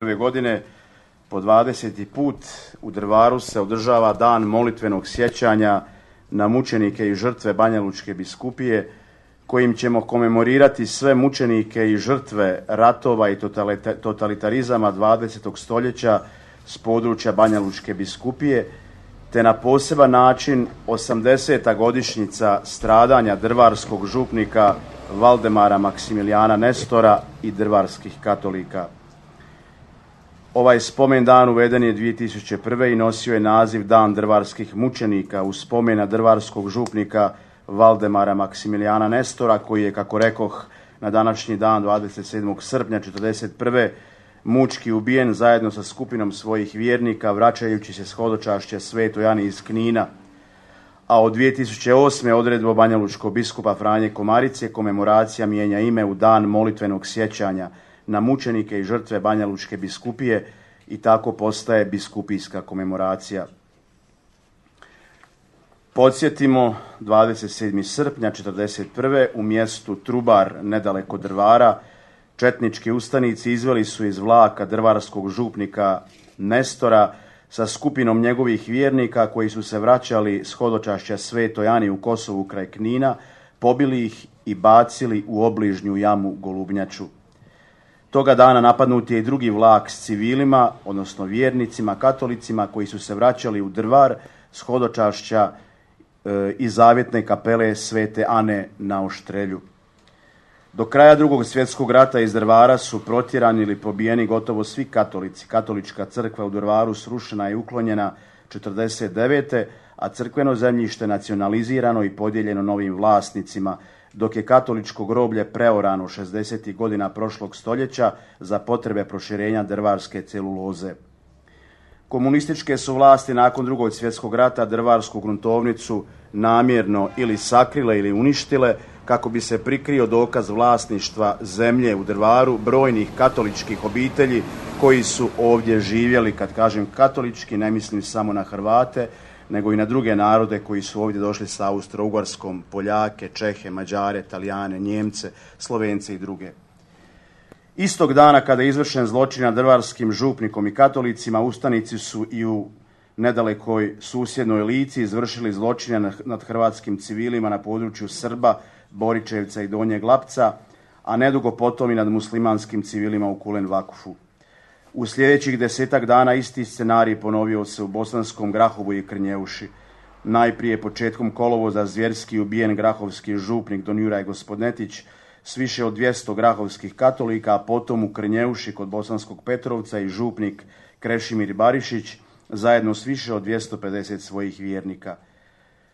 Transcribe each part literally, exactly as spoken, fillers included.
Ove godine po dvadeseti put u Drvaru se održava dan molitvenog sjećanja na mučenike i žrtve Banjalučke biskupije, kojim ćemo komemorirati sve mučenike i žrtve ratova i totalitarizama dvadesetog stoljeća s područja Banjalučke biskupije, te na poseban način osamdeseta godišnjica stradanja drvarskog župnika Valdemara Maksimilijana Nestora i drvarskih katolika. Ovaj spomen dan uveden je dvije tisuće prve. i nosio je naziv Dan drvarskih mučenika u spomen na drvarskog župnika Valdemara Maksimilijana Nestora, koji je, kako rekoh, na današnji dan dvadeset sedmog srpnja četrdeset prve. mučki ubijen zajedno sa skupinom svojih vjernika vraćajući se s hodočašća Svetoj Ani iz Knina. A od dvije tisuće osme. odredbom banjalučkog biskupa Franje Komarice komemoracija mijenja ime u Dan molitvenog sjećanja na mučenike i žrtve Banjalučke biskupije i tako postaje biskupijska komemoracija. Podsjetimo, dvadeset sedmog srpnja četrdeset prve. u mjestu Trubar, nedaleko Drvara, četnički ustanici izveli su iz vlaka drvarskog župnika Nestora sa skupinom njegovih vjernika koji su se vraćali s hodočašća Svetoj Ani u Kosovu kraj Knina, pobili ih i bacili u obližnju jamu Golubnjaču. Toga dana napadnut je i drugi vlak s civilima, odnosno vjernicima, katolicima koji su se vraćali u Drvar s hodočašća e, i zavjetne kapele Svete Ane na Oštrelju. Do kraja Drugog svjetskog rata iz Drvara su protjerani ili pobijeni gotovo svi katolici. Katolička crkva u Drvaru srušena i uklonjena četrdeset devete. a crkveno zemljište nacionalizirano i podijeljeno novim vlasnicima, dok je katoličko groblje preorano šezdesetih godina prošlog stoljeća za potrebe proširenja drvarske celuloze. Komunističke su vlasti nakon Drugog svjetskog rata drvarsku gruntovnicu namjerno ili sakrile ili uništile kako bi se prikrio dokaz vlasništva zemlje u Drvaru brojnih katoličkih obitelji koji su ovdje živjeli. Kad kažem katolički, ne mislim samo na Hrvate, nego i na druge narode koji su ovdje došli sa Austro-Ugarskom, Poljake, Čehe, Mađare, Talijane, Njemce, Slovence i druge. Istog dana kada je izvršen zločin nad drvarskim župnikom i katolicima, ustanici su i u nedalekoj susjednoj Lici izvršili zločine nad hrvatskim civilima na području Srba, Boričevca i Donjeg Lapca, a nedugo potom i nad muslimanskim civilima u Kulen Vakufu. U sljedećih desetak dana isti scenarij ponovio se u Bosanskom Grahovu i Krnjeuši. Najprije početkom kolovoza zvjerski ubijen grahovski župnik don Juraj Gospodnetić s više od dvjesto grahovskih katolika, a potom u Krnjeuši kod Bosanskog Petrovca i župnik Krešimir Barišić zajedno s više od dvjesto pedeset svojih vjernika.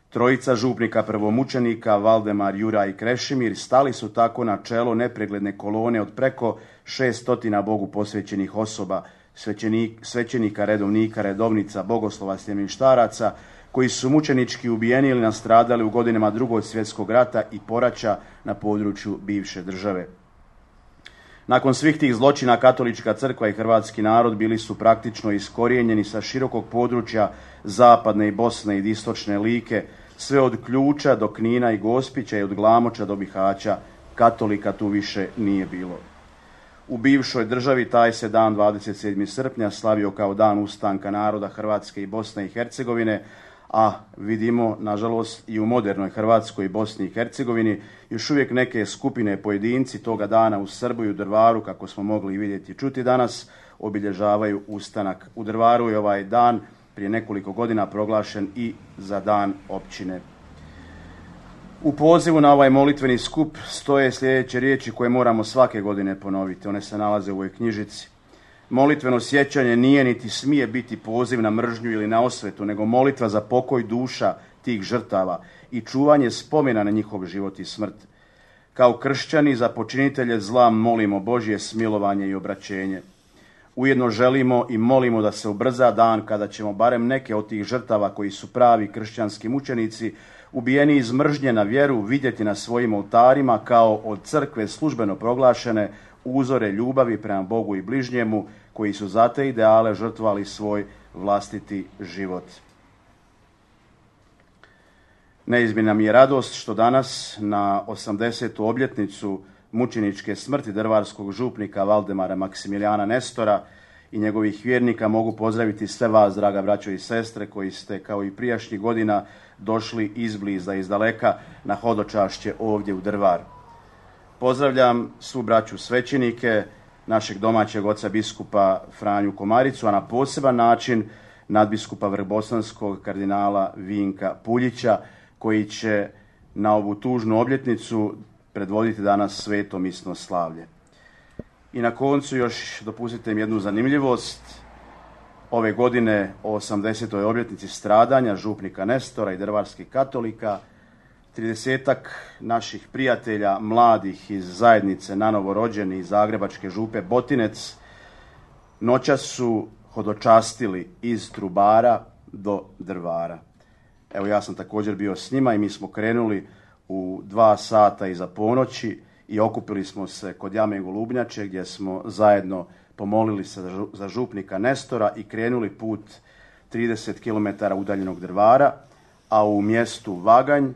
Trojica župnika prvomučenika, Valdemar, Juraj i Krešimir, stali su tako na čelo nepregledne kolone od preko šeststotina Bogu posvećenih osoba, svećenik, svećenika, redovnika, redovnica, bogoslova, sljemenštaraca, koji su mučenički ubijeni ili nastradali u godinama Drugog svjetskog rata i poraća na području bivše države. Nakon svih tih zločina katolička crkva i hrvatski narod bili su praktično iskorijenjeni sa širokog područja zapadne i Bosne i istočne Like, sve od Ključa do Knina i Gospića i od Glamoča do Bihaća. Katolika tu više nije bilo. U bivšoj državi taj se dan dvadeset sedmog srpnja slavio kao dan ustanka naroda Hrvatske i Bosne i Hercegovine, a vidimo, nažalost, i u modernoj Hrvatskoj i Bosni i Hercegovini još uvijek neke skupine pojedinci toga dana u Srbu i u Drvaru, kako smo mogli vidjeti i čuti danas, obilježavaju ustanak. U Drvaru je ovaj dan prije nekoliko godina proglašen i za dan općine. U pozivu na ovaj molitveni skup stoje sljedeće riječi koje moramo svake godine ponoviti. One se nalaze u ovoj knjižici. Molitveno sjećanje nije niti smije biti poziv na mržnju ili na osvetu, nego molitva za pokoj duša tih žrtava i čuvanje spomena na njihov život i smrt. Kao kršćani za počinitelje zla molimo Božje smilovanje i obraćenje. Ujedno želimo i molimo da se ubrza dan kada ćemo barem neke od tih žrtava koji su pravi kršćanski mučenici ubijeni iz mržnje na vjeru vidjeti na svojim oltarima kao od crkve službeno proglašene uzore ljubavi prema Bogu i bližnjemu, koji su za te ideale žrtvovali svoj vlastiti život. Neizmjerna mi je radost što danas na osamdesetu obljetnicu mučeničke smrti drvarskog župnika Valdemara Maksimilijana Nestora i njegovih vjernika mogu pozdraviti sve vas, draga braćo i sestre, koji ste kao i prijašnjih godina došli izbliza, izdaleka na hodočašće ovdje u Drvar. Pozdravljam svu braću svećenike, našeg domaćeg oca biskupa Franju Komaricu, a na poseban način nadbiskupa vrbosanskog kardinala Vinka Puljića, koji će na ovu tužnu obljetnicu predvoditi danas sveto misno slavlje. I na koncu još dopustite mi jednu zanimljivost. Ove godine o osamdesetoj obljetnici stradanja župnika Nestora i drvarskih katolika, tridesetak naših prijatelja mladih iz zajednice nanovo rođeni iz zagrebačke župe Botinec noćas su hodočastili iz Trubara do Drvara. Evo, ja sam također bio s njima i mi smo krenuli u dva sata iza ponoći i okupili smo se kod jame Golubnjače gdje smo zajedno pomolili se za župnika Nestora i krenuli put trideset kilometara udaljenog Drvara, a u mjestu Vaganj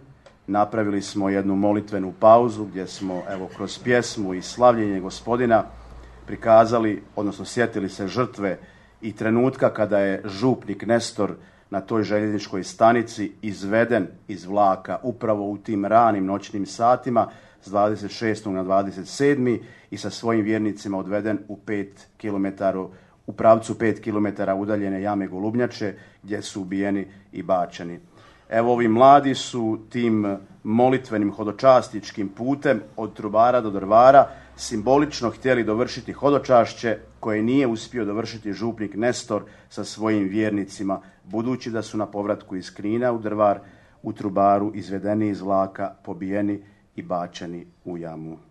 napravili smo jednu molitvenu pauzu gdje smo, evo, kroz pjesmu i slavljenje Gospodina prikazali, odnosno sjetili se žrtve i trenutka kada je župnik Nestor na toj željezničkoj stanici izveden iz vlaka upravo u tim ranim noćnim satima s dvadeset šestog na dvadeset sedmi i sa svojim vjernicima odveden u pet kilometara, u pravcu pet kilometara udaljene jame Golubnjače gdje su ubijeni i bačeni. Evo, ovi mladi su tim molitvenim hodočastičkim putem od Trubara do Drvara simbolično htjeli dovršiti hodočašće koje nije uspio dovršiti župnik Nestor sa svojim vjernicima, budući da su na povratku iz Knina u Drvar u Trubaru izvedeni iz vlaka, pobijeni i bačeni u jamu.